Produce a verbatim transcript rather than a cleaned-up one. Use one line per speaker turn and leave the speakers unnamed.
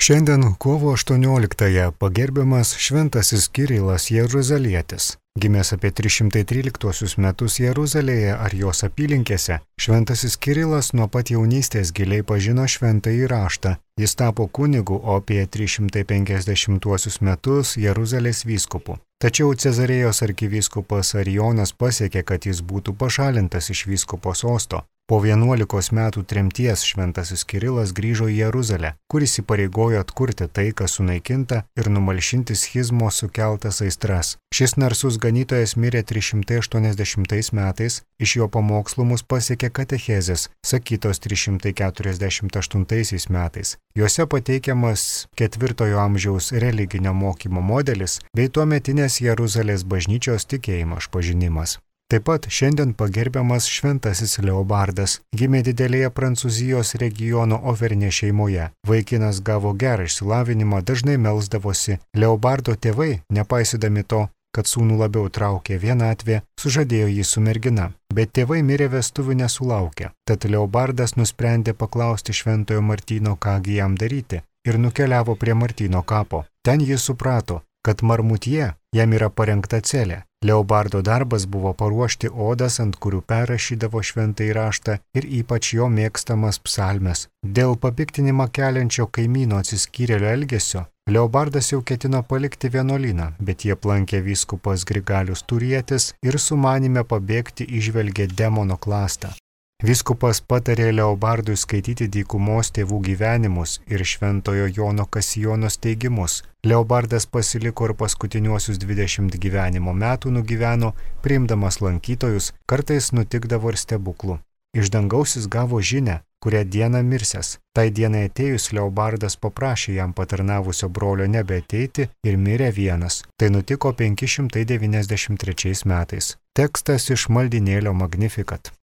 Šiandien kovo aštuonioliktąją pagerbiamas šventasis Kirilas Jeruzalietis. Gimęs apie tris šimtai tryliktuosius metus Jeruzalėje ar jos apylinkėse, šventasis Kirilas nuo pat jaunystės giliai pažino šventąjį raštą. Jis tapo kunigu, o apie tris šimtai penkiasdešimtuosius metus Jeruzalės vyskupu. Tačiau Cezarėjos arkivyskupas Arijonas pasiekė, kad jis būtų pašalintas iš vyskupo sosto. Po vienuolikos metų tremties šventasis Kirilas grįžo į Jeruzalę, kuris įpareigojo atkurti tai, kas sunaikinta, ir numalšinti schizmo sukeltas aistras. Šis narsus ganytojas mirė tris šimtai aštuoniasdešimtais metais, iš jo pamokslų mus pasiekė katechezės, sakytos tris šimtai keturiasdešimt aštuntaisiais metais. Juose pateikiamas ketvirtojo amžiaus religinio mokymo modelis bei tuometinės Jeruzalės bažnyčios tikėjimo išpažinimas. Taip pat šiandien pagerbiamas šventasis Leobardas. Gimė didelėje Prancūzijos regiono Overnė šeimoje. Vaikinas gavo gerą išsilavinimą, dažnai melsdavosi. Leobardo tėvai, nepaisydami to, kad sūnų labiau traukė vienatvė, sužadėjo jį su mergina. Bet tėvai mirė vestuvių nesulaukę. Tad Leobardas nusprendė paklausti šventojo Martyno, kągi jam daryti, ir nukeliavo prie Martyno kapo. Ten jis suprato, kad Marmutie jam yra parengta celė. Leobardo darbas buvo paruošti odas, ant kurių perrašydavo šventąjį raštą ir ypač jo mėgstamas psalmes. Dėl papiktinimą keliančio kaimyno atsiskyrėlio elgesio, Leobardas jau ketino palikti vienuolyną, bet jie aplankė vyskupas Grigalius Turietis ir sumanime pabėgti įžvelgė demono klastą. Vyskupas patarė Leobardui skaityti dykumos tėvų gyvenimus ir šventojo Jono Kasijonos teigimus. Leobardas pasiliko ir paskutiniuosius dvidešimt gyvenimo metų nugyveno, priimdamas lankytojus, kartais nutikdavo ir stebuklų. Iš dangaus jis gavo žinią, kurią dieną mirsęs. Tai dienai atėjus Leobardas paprašė jam patarnavusio brolio nebeateiti ir mirė vienas. Tai nutiko penki šimtai devyniasdešimt trečiais metais. Tekstas iš maldynėlio Magnificat.